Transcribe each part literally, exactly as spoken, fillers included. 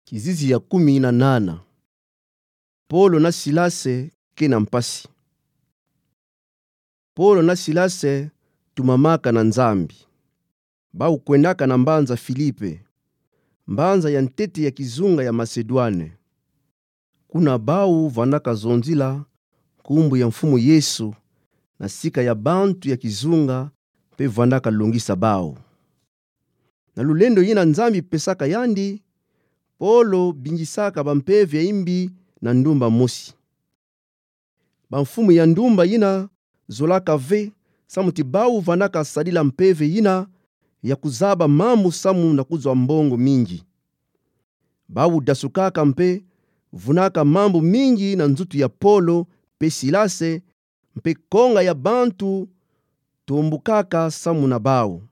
Kizizi ya kumi na nana. Polo na Silase ke na mpasi. Polo na Silase tumamaka na Nzambi. Bau kwendaka na mbanza Filipe, mbanza ya ntete ya kizunga ya Masedwane. Kuna bau vandaka zonzila nkumbu ya Mfumu Yesu na sika ya bantu ya kizunga mpe vandaka longisa bau. Na lulendo yina Nzambi pesaka yandi, Polo bingisaka bampeve ya imbi na ndumba mosi. Bamfumu ya ndumba yina zolaka ve, samu ti bau vandaka sadila mpeve yina ya kuzaba mambu samu na kuzwa mbongo mingi. Bau dasukaka mpe vunaka mambu mingi na nzutu ya Polo mpe Silase, mpe konga ya bantu tombukaka samu na bau.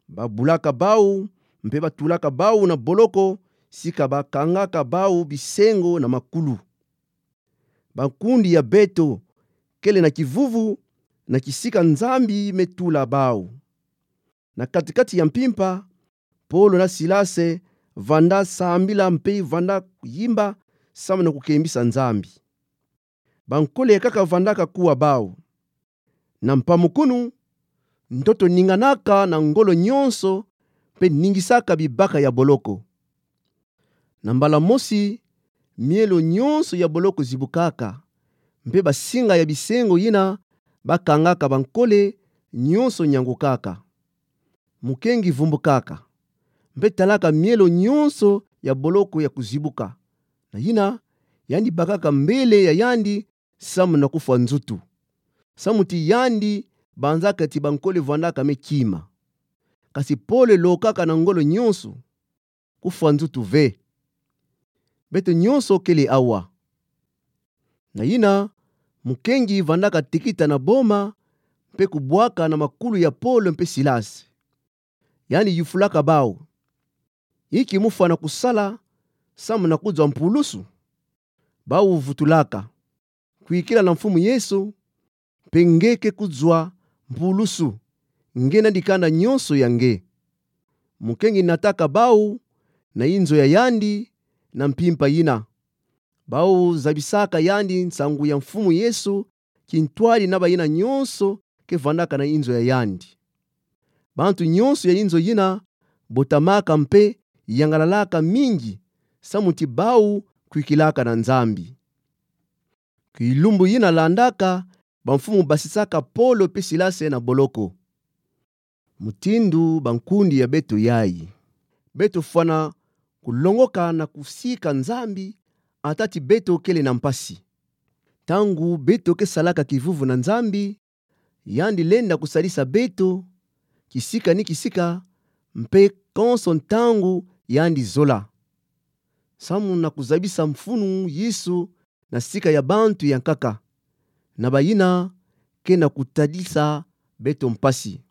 Babulaka bau, mpe batulaka bau na boloko, sika bakangaka bau bisengo na makulu. Bankundi ya beto kele na kivuvu na kisika Nzambi me tula bau. Na kati-kati ya mpimpa, Polo na Silase vanda sambila mpe vanda yimba samu na kukembisa Nzambi. Bankole kaka vandaka kuwa bau. Na mpamukunu, ntoto ninganaka na ngolo nyonso, mpe ningisaka bibaka ya boloko. Na mbala mosi, mielo nyonso ya boloko zibukaka, mpe basinga ya bisengo yina bakangaka bankole nyonso nyangukaka. Mukengi vumbukaka, mpe talaka mielo nyonso ya boloko ya kuzibuka. Na yina, yandi bakaka mbele ya yandi samu na kufwa nzutu. Samu ti yandi banzaka ti bankole vandaka me kima. Kasi pole lokaka na ngolo nyonso, kufwa nzutu ve. Beto nyonso kele awa. Na yina, mukengi vandaka tekita na boma, mpe kubwaka na makulu ya Polo mpe Silasi. Yandi yufulaka bau: Inki mufwana kusala samu na kuzwa mpulusu? Bau vutulaka: Kwikila na Mfumu Yesu, mpe nge ke kuzwa mpulusu, nge na dikanda nyonso ya nge. Mukengi nataka bau na inzo ya yandi na mpimpa yina. Bau zabisaka yandi nsangu ya Mfumu Yesu kintwadi na bayina nyonso ke vandaka na inzo ya yandi. Bantu nyonso ya inzo yina botamaka mpe yangalalaka mingi, samu ti bau kwikilaka na Nzambi. Kilumbu yina landaka, bamfumu basisaka Polo mpe Silasi na boloko. Mutindu bankundi ya beto yayi, beto fwana kulongoka na kusika Nzambi, ata ti beto kele na mpasi. Ntangu beto ke salaka kivuvu na Nzambi, yandi lenda kusalisa beto kisika ni kisika, mpe konso ntangu yandi zola, samu na kuzabisa mfunu Yesu na sika ya bantu ya nkaka, na bayina ke na kutadisa beto mpasi.